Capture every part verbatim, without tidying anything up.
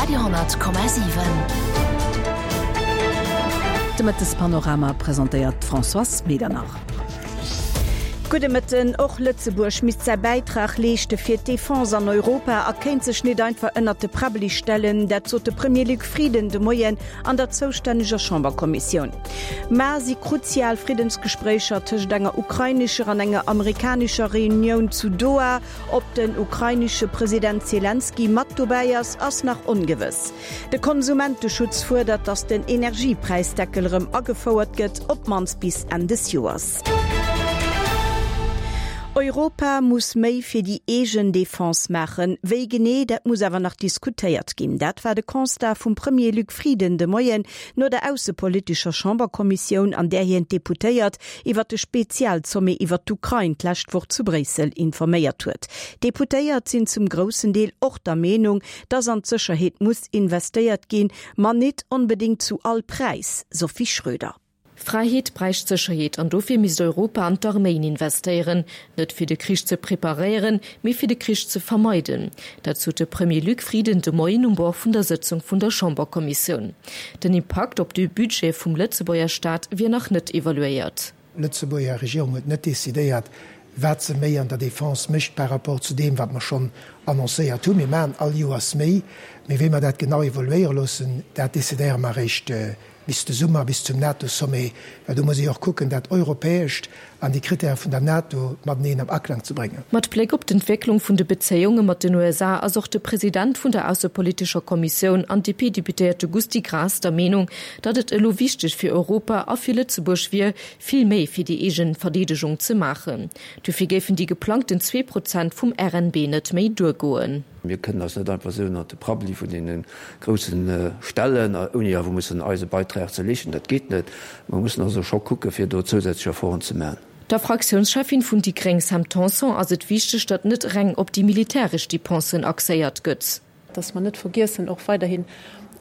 Radio honnert Komma siwen. De Mëttespanorama presentéiert d'Françoise Medernach. Gudde Mëtten. Och Lëtzebuerg misst säi Bäitrag leeschte fir d'Defense an Europa a kéint sech net einfach ënnert de Prabbeli stellen. Dat sot de Premier Luc Frieden de Moien an der zoustänneger Chamberkommissioun. Mar si kruzial Friddensgespréicher tëscht enger ukrainescher an enger amerikanescher Reunioun zu Doha. Ob den ukrainesche President Selenskyj mat dobäi ass, ass nach ongewëss. De Konsumenteschutz fuerdert, datt den Energiepräisdeckel erëm agefouert gëtt, op d'mannst bis Enn des Joers. Europa muss méi fir déi eegen Defense maachen. Wéi genee, dat muss awer nach diskutéiert ginn. Dat war de Constat vum Premier Luc Frieden de Moien no der aussepolitescher Chamberkommissioun, an där hien d'Deputéiert iwwer de Spezialsommet iwwer d'Ukrain d'lescht Woch zu Bréissel informéiert huet. D'Deputéiert sinn zum groussen Deel och der Meenung, dass an d'Sécherheet muss investéiert ginn, ma net onbedéngt zu all Präis, Sophie Schröder. Fräiheet bräicht Sécherheet an dofir misst Europa an d'Arméien investéieren, net fir de Krich ze preparéieren, mee fir de Krich ze vermeiden. Dat sot de Premier Luc Frieden de Moien um Bord vun der Sëtzung vun der Chamberkommissioun. Den Impakt op de Budget vum Lëtzebuerger Staat wier nach net evaluéiert. D'Lëtzebuerger Regierung huet net decidéiert, wat se méi an der Defense mécht par rapport zu deem, wat mer schonn annoncéiert hunn. Mir maachen all Joers méi, mee wéi mer dat genau evoluéiere loossen, dat decidéiere mer eréischt bis de Summer, bis zum NATO-Sommet, well do muss ee jo och kucken, dat Europäescht an déi Krittäre vun der NATO mateneen am Aklang ze bréngen. Mat Bléck op d'Entwécklung vun de Bezéiunge mat den U S A ass och de President vun der aussepolitescher Kommissioun an D P-Deputéierte Gusty Graas der Meenung, datt et elo wichteg fir Europa a fir Lëtzebuerg wier, vill méi fir déi eegen Verdeedegung ze maachen. Dofir géifen déi geplangten zwee Prozent vum R N B net méi duergoen. Mir kënnen eis net einfach esou ënnert de Prabbeli vun deene grousse stellen, ouni awer mussen eise Beitrag ze leeschten. Dat geet net. Mer mussen also scho kucke fir do zousätzlech Efforten ze maachen. Der Fraktiounscheffin vun déi Gréng Sam Tanson ass et wichteg, datt net reng op déi militäresch Depensen axéiert gëtt. Dass mer net vergiessen, och weiderhin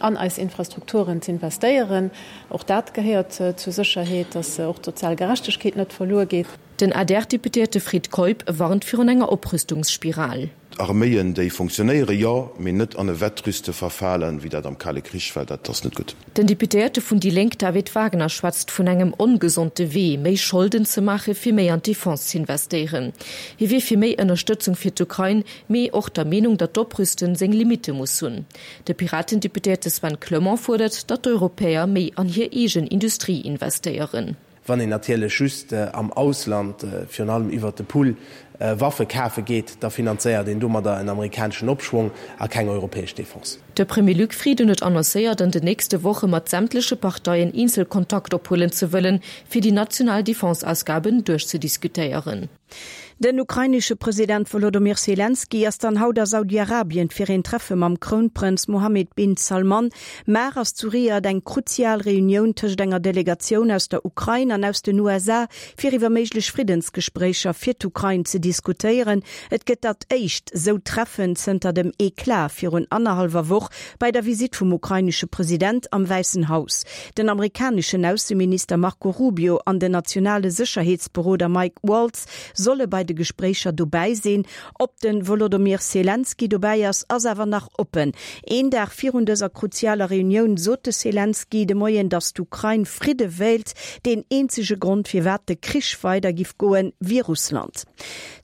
an eis Infrastrukturen ze investéieren. Och dat gehéiert zur Sécherheet, dass och d'sozial Gerechtegkeet net verluer geet. Den A D R-Deputéierte Fred Keup warnt virun enger Oprüstungsspiral. Arméien, déi funktionéiere, jo, mee net an e Wettrüste verfalen, wéi dat am Kale Krich war, dat ass net gutt. Den Deputéierte vun déi Lénk David Wagner schwätzt vun engem ongesonde Wee, méi Scholden ze maache fir méi an d'Defense z'investéieren. Hie wier fir méi Ënnerstëtzung fir d'Ukrain, mee och der Meenung, datt d'Oprüsten seng Limitte muss hunn. De Piratendeputéierte Sven Clement fuerdert, datt d'Europäer méi an hir eegen Industrie investéieren. Wann een natierlech just am Ausland, virun allem iwwer de Pool, Waffe kafe geet, da finanzéiert een domadder en amerikaneschen Opschwong a keng europäesch Defense. De Premier Luc Frieden huet annoncéiert, an den nächste Woche mat sämtleche Parteien eenzel Kontakt ophuelen ze wëllen, fir déi national Defenseausgaben duerchzediskutéieren. Den ukrainesche President Volodymyr Selenskyj ass dann haut a Saudi-Arabien fir een Treffe mam Krounprënz Mohammed bin Salman. Mar ass zu Riad eng kruzial Reunioun tëscht enger Delegatioun aus der Ukrain an aus den U S A fir iwwer méiglech Friddensgespréicher fir d'Ukrain ze diskutéieren. Et gëtt dat éischt sou Treffen zënter dem Eklat virun annerhallwer Woch bei der Visitt vum ukrainesche President am Wäissen Haus. Den amerikaneschen Ausseminister Marco Rubio an den nationale Sécherheetsberoder Mike Waltz solle bei de Gespréicher dobäi sinn. Ob den Volodymyr Selenskyj dobäi ass, ass awer nach oppen. Een Dag virun dëser kruzialer Reunioun sot de Selenskyj de Moien, datt d'Ukrain Fridde wéilt, deen eenzege Grond firwat de Krich weider giff goen, wier Russland.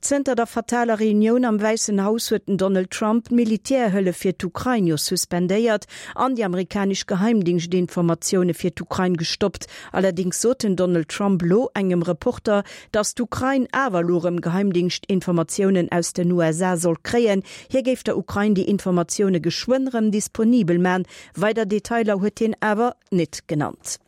Zënter der fataler Reunioun am Wäissen Haus huet den Donald Trump d'Militärhëllef fir d'Ukrain jo suspendéiert an déi amerikanesch Geheimdingschtinformatioune fir d'Ukrain gestoppt. Allerdéngs sot den Donald Trump lo engem Reporter, datt d'Ukrain awer lo rëm Geheimdingschtinformatiounen aus den U S A soll kréien. Hie géif der Ukrain déi Informatioune geschwënn rëm disponibel man. Weider Detailer huet hien awer net genannt.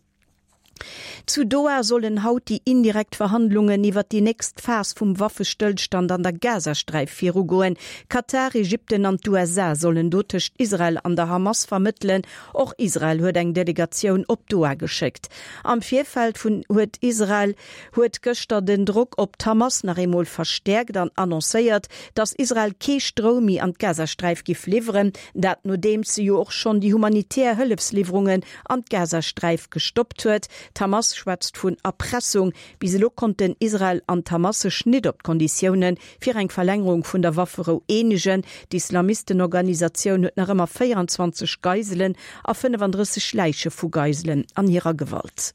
Zu Doha sollen haut déi indirekt Verhandlungen iwwer déi nächst Phas vum Waffestëllstand an der Gazasträif virugoen. Katar, Ägypten an d'U S A sollen do tëscht Israel an der Hamas vermëttelen. Och Israel huet eng Delegatioun op Doha geschéckt. Am Virfeld vun huet Israel huet gëschter den Drock op d'Hamas nach eemol verstäerkt an annoncéiert, datt Israel kee Stroum méi an d'Gazasträif giff liwweren, dat nodeems se jo och schonn déi humanitär Hëllefsliwwerungen an d'Gazasträif gestoppt huet. D'Hamas schwätzt vun Erpressung. Bis elo konnten Israel an d'Hamas sech net op d'Konditioune fir eng Verlängerung vun der Wafferou eenegen. D'Islamistenorganisatioun huet nach ëmmer véierenzwanzeg Geiselen a fënnefandrësseg Läiche vu Geiselen an hirer Gewalt.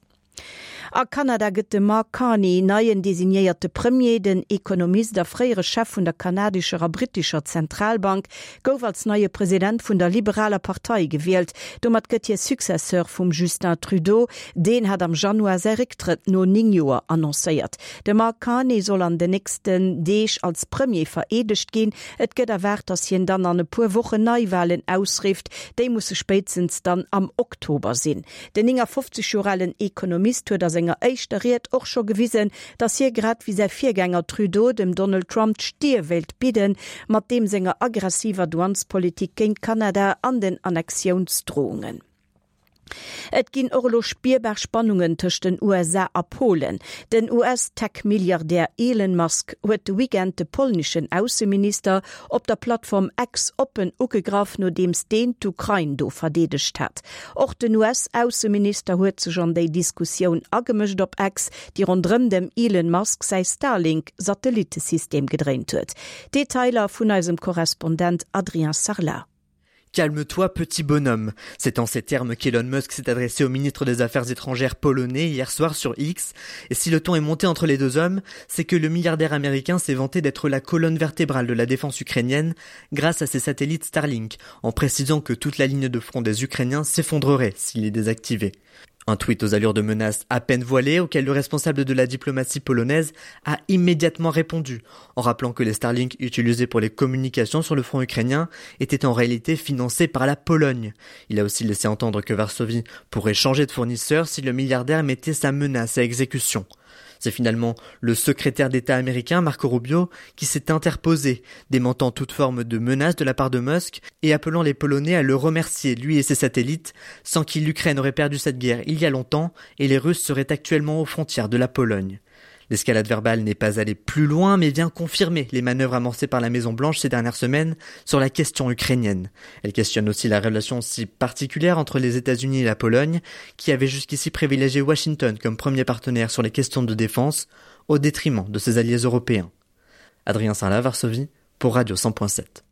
A Kanada gëtt de Mark Carney neien designéierte Premier. Den Ekonomist a fréiere Chef vun der kanadescher a brittescher Zentralbank gouf als neie President vun der liberaler Partei gewielt. Domat gëtt hie Successeur vum Justin Trudeau. Deen hat am Januar säi Récktrëtt no néng Joer annoncéiert. De Mark Carney soll an den nächsten Deeg als Premier vereedegt ginn. Et gëtt erwaart, datt hien dann an e puer Wochen Neiwalen ausrifft. Déi musse spéitstens dann am Oktober sinn. Den néngafofzeg Joer alen Ekonomist huet a senger éischter Ried och scho gewisen, datt hie grad wéi säi Virgänger Trudeau dem Donald Trump d'Stier wéilt bidden, mat deem senger aggressiver Douanespolitik géint Kanada an den Annexiounsdrohungen. Et ginn och elo spierbar Spannungen tëscht den U S A a Polen. Den U S-Tech-Milliardär Elon Musk huet de Weekend de polneschen Ausseminister op der Plattform X oppen ugegraff, nodeems deen d'Ukrain do verdeedegt hat. Och den U S-Ausseminister huet sech an déi Diskussioun agemëscht op X, déi ronderëm dem Elon Musk säi Starlink-Satellittesystem gedréint huet. Detailer vun eisem Korrespondent Adrien Sarlat. Calme-toi, petit bonhomme. C'est en ces termes qu'Elon Musk s'est adressé au ministre des Affaires étrangères polonais hier soir sur X. Et si le ton est monté entre les deux hommes, c'est que le milliardaire américain s'est vanté d'être la colonne vertébrale de la défense ukrainienne grâce à ses satellites Starlink, en précisant que toute la ligne de front des Ukrainiens s'effondrerait s'il les désactivait. Un tweet aux allures de menaces à peine voilées auquel le responsable de la diplomatie polonaise a immédiatement répondu en rappelant que les Starlink utilisés pour les communications sur le front ukrainien étaient en réalité financés par la Pologne. Il a aussi laissé entendre que Varsovie pourrait changer de fournisseur si le milliardaire mettait sa menace à exécution. C'est finalement le secrétaire d'État américain Marco Rubio qui s'est interposé, démentant toute forme de menace de la part de Musk et appelant les Polonais à le remercier, lui et ses satellites, sans qui l'Ukraine aurait perdu cette guerre il y a longtemps et les Russes seraient actuellement aux frontières de la Pologne. L'escalade verbale n'est pas allée plus loin mais vient confirmer les manœuvres amorcées par la Maison Blanche ces dernières semaines sur la question ukrainienne. Elle questionne aussi la relation si particulière entre les États-Unis et la Pologne, qui avait jusqu'ici privilégié Washington comme premier partenaire sur les questions de défense, au détriment de ses alliés européens. Adrien Sarlat, Varsovie, pour Radio cent point sept.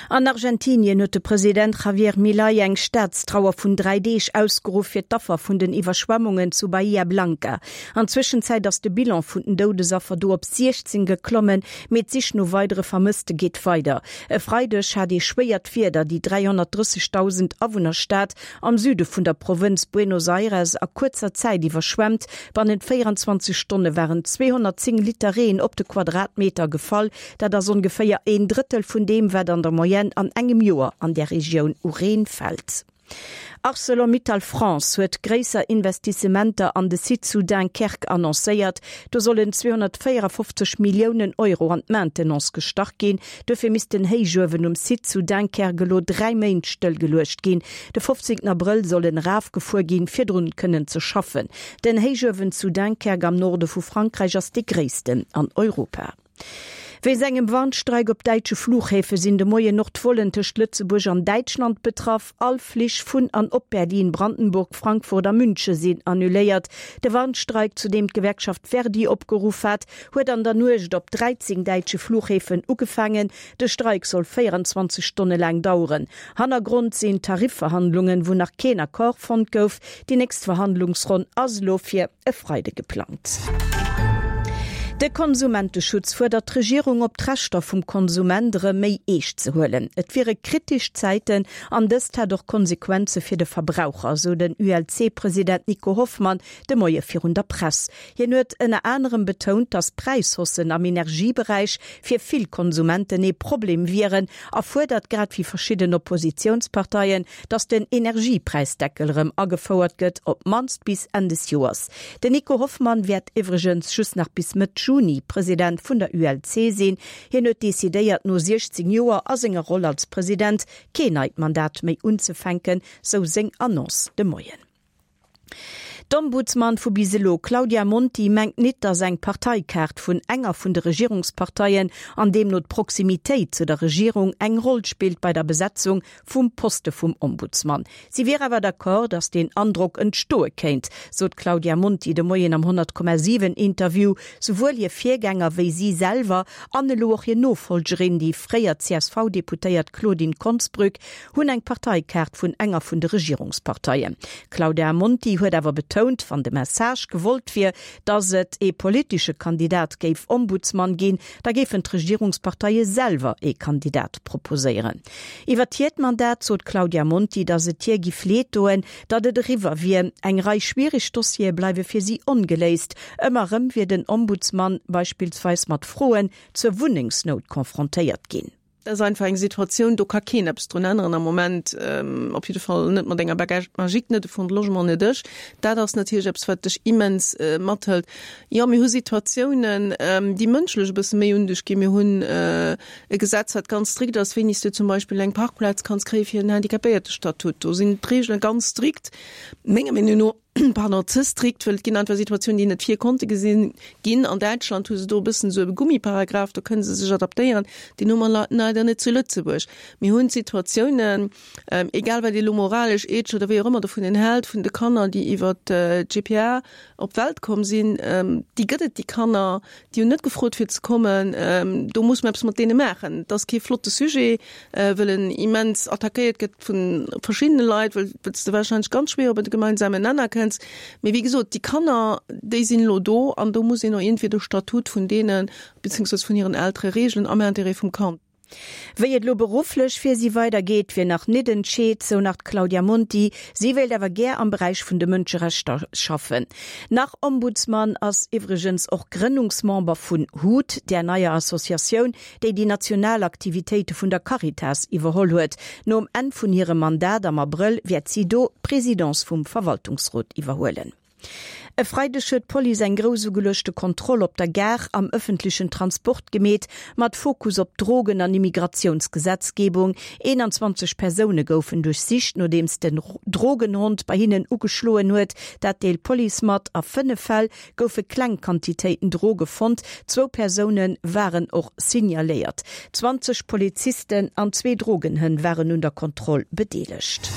An Argentinien huet de President Javier Milei eng Staatstrauer vun dräi Deeg ausgeruff fir d'Affer vun den Iwwerschwemmungen zu Bahia Blanca. An Zwëschenzäit ass de Bilan vun den Doudesaffer do op siechzéng geklommen, mee d'Sich no weidere Vermësste geet weider. E Freideg hat ee schwéiert Wieder déi dräihonnertdrëssegdausend Awunnerstad am Süde vun der Provënz Buenos Aires a kuerzer Zäit iwwerschwemmt. Bannent véierenzwanzeg Stonne waren zweehonnertzéng Liter Reen op de Quadratmeter gefall, dat ass ongeféier een Drëttel vun deem, wat an der Moyenne an engem Joer an der Regioun u Reen fält. Arcelor-Mittal France huet gréisser Investissementer an de Site zu Dunkerque annoncéiert. Do sollen zweehonnertvéierafofzeg Milliounen Euro an d'Maintenance gestach ginn. Dofir misst den Héichuewen um Site zu Dunkerque elo dräi Méint stëllgeluecht ginn. De fofzéngten Abrëll soll en erafgefuer ginn, fir drun kënnen ze schaffen. Den Héichuewen zu Dunkerque am Norde vu Frankräich ass dee gréissten an Europa. Wéinst engem Warnstreik op däitsche Fluchhäfe sinn de Moien och d'Vollen tëscht Lëtzebuerg an Däitschland betraff. All Flich vun an op Berlin, Brandenburg, Frankfurt a Münche sinn annuléiert. De Warnstreik, zu deem d'Gewerkschaft Verdi opgeruff hat, huet an der Nuecht op dräizéng däitsche Fluchhäfen ugefaangen. De Streik soll véierenzwanzeg Stonne laang daueren. Hannergrond sinn Tarifverhandlungen, wou nach keen Accord fonnt gouf. Déi nächst Verhandlungsronn ass elo fir e Freide geplangt. De Konsumenteschutz fuerdert d'Regierung op, d'Rechter vum Konsument erëm méi eescht ze huelen. Et wiere kritesch Zäiten an dëst hätt och Konsequenze fir de Verbraucher, sou den U L C-President Nico Hoffmann de Moie virun der Press. Hien huet ënner anerem betount, datt Präishaussen am Energieberäich fir vill Konsumenten ee Problem wieren a fuerdert grad wéi verschidden Oppositiounsparteien, datt den Energiepräisdeckel erëm agefouert gëtt, op d'mannst bis Enn des Joers. Den Nico Hoffmann wäert iwwregens just nach bis Mëtt Juni President vun der U L C sinn. Hien huet decidéiert, no siechzéng Joer a senger Roll als President keen neit Mandat méi unzefänken, sou seng Annonce de Moien. D'Ombudsman vu bis elo, Claudia Monti, mengt nit, datt eng Parteikaart vun enger vun de Regierungsparteien an deemno d'Proximitéit zu der Regierung eng Roll spillt bei der Besetzung vum Poste vum Ombudsman. Si wier awer d'accord, datt deen Androck entstoe kéint, sot d'Claudia Monti de Moien am honnert Komma siwen Interview. Souwuel hir Virgänger wéi si selwer an elo och hir Nofollgerin, déi fréier C S V-Deputéiert Claudine Konsbrück, hunn eng Parteikaart vun enger vun de Regierungsparteien. D'Claudia Monti huet awer betount, wann de Message gewollt wier, datt et ee politesche Kandidat géif Ombudsman ginn, da géifen d'Regierungsparteie selwer ee Kandidat proposéieren. Iwwer hiert Mandat sot d'Claudia Monti, datt et hir giff leed doen, datt et eriwwer wier. Eng Rei schwiereg Dossiere bleiwe fir si ongeléist. Ëmmer erëm wier den Ombudsman beispillsweis mat Froen zur Wunnengsnout konfrontéiert ginn. Dat ass einfach eng Situatioun, do ka keen eppes drun änneren am Moment, op jidde Fall net mat enger Baguette magique, net de Fonds de Logement, net ech. Dat ass natierlech eppes, wat dech immens mathëlt. Jo, mir hu Situatiounen, déi mënschlech e bësse méi un dech ginn. Mir hunn e Gesetz, wat ganz strikt ass, wéini s du zum Beispill eng Parkplaz kanns kréie fir en Handicapéiertestatut. Do sinn d'Reegele ganz strikt, menger Meenung no. pardon, ze strikt, well et ginn einfach Situatiounen, déi net vir konnte gesinn ginn. An Däitschland hu se do e bëssen esou e Gummiparagraf, do kënne se sech adaptéieren. Deen hu mer leider net zu Lëtzebuerg. Mir hunn Situatiounen, egal wat ee lo moralesch, ethesch oder wéi och ëmmer dovun hält, vun de Kanner, déi iwwer d'G P A op d'Welt komm sinn, déi gëtt et, déi Kanner, déi hunn net gefrot fir ze kommen. Do muss mer eppes mat deene maachen. Et ass kee flotte Sujet, well en immens attackéiert gëtt vu verschiddene Leit, well s de warscheinlech ganz schwéier op e gemeinsamen Nenner kënns. Mee wéi gesot, déi Kanner, déi sinn elo do an do muss een och iergendwéi de Statut vun deenen, beziehungsweise vun hiren Eltere reegelen am Interêt vum Kand. Wéi et elo berufflech fir si weidergeet, wier nach nit entscheet, sou nach d'Claudia Monti. Si wéilt awer gär am Beräich vun de Mënscherechter schaffen. Nach Ombudsman ass iwwregens och Grënnungsmember vun HUT, där neier Associatioun, déi déi national Aktivitéite vun der Caritas iwwerholl huet. Nom Enn vun hirem Mandat am Abrëll wäert si do d'Presidence vum Verwaltungsrot iwwerhuelen. E Freideg huet d'Police eng grouss ugeluechte Kontroll op der Gare am ëffentlechen Transport gemeet, mat Fokus op Drogen an Immigratiounsgesetzgebung. eenanzwanzeg Persoune goufen duerchsicht, nodeems den Drogenhond bei hinnen ugeschloen huet. Dat deelt d'Police mat. A fënnef Fäll goufe kleng Quantitéiten Droge fonnt, zwou Persoune waren och signaléiert. Zwanzeg Polizisten an zwee Drogenhënn waren un der Kontroll bedeelegt.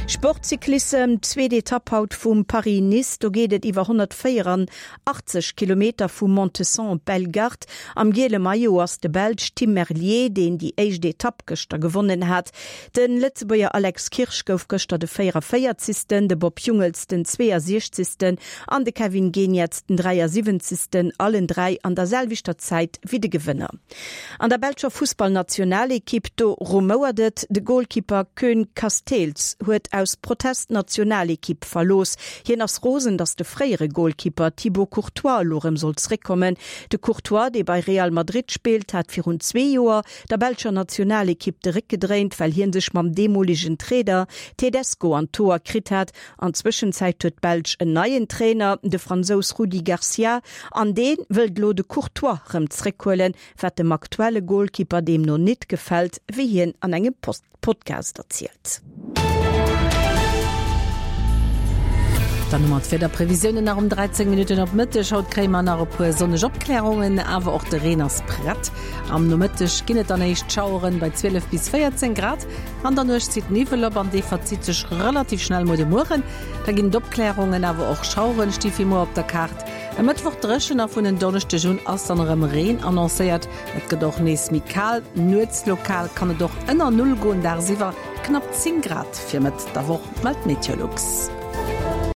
Sport, Cyclissem, Zweet Etapp haut vum Paris-Nice, do geet et iwwer honnertvéieranachtzeg Kilometer vu Montesson op Bellegarde. Am giele Maillot ass de Belsch Tim Merlier, deen déi éischt Etapp gëschter gewonnen hat. De Lëtzebuerger Alex Kirsch gouf gëschter de véieranvéierzegsten, de Bob Jungels den zweeasiechzegsten an de Kevin Geniets den dräiasiwwenzegsten, allen dräi an der selwechter Zäit wéi de Gewënner. An der belscher Fussballnationalekipp, do rumouert et, de Golkipper Koen Casteels huet aus Protest d'Nationalekipp verlooss. Hien ass rosen, datt de fréiere Golkipper Thibaut Courtois elo rëm soll zréckkommen. De Courtois, dee bei Real Madrid spillt, hat virun zwee Joer der belscher Nationalekipp de Réck gedréint, well hie sech mam deemolegen Trainer Tedesco an d'Hoer kritt hat. An Zwëschenzäit huet d'Belsch en neien Trainer, de Fransous Rudi Garcia, an dee wëllt elo de Courtois rëm zréckhuelen, wat dem aktuelle Golkipper deemno nit gefält, wéi hien an engem Podcast erzielt. Dann hu mer d'Wiederprevisiounen nach um dräizéng Minutten op Mëtteg. Haut kréie mer nach e puer sonneg Opklärungen, awer och de Reen ass prett. Am Nomëtteg ginn et dann éischt Schaueren bei zwielef bis véierzéng Grad. An der Nuecht zitt Niwwel op an dee verzitt sech relativ schnell muer de Mueren. Da ginn et Opklärungen, awer och Schaueren sti fir muer op der Kaart. E Mëttwoch dréchen a vun en Donneschdeg un ass dann erëm Reen annoncéiert. Et gëtt och nees méi kal, nuets lokal kann et och ënner Null goen, dagsiwwer knapp zéng Grad fir Mëtt der Woch, mellt Meteolux.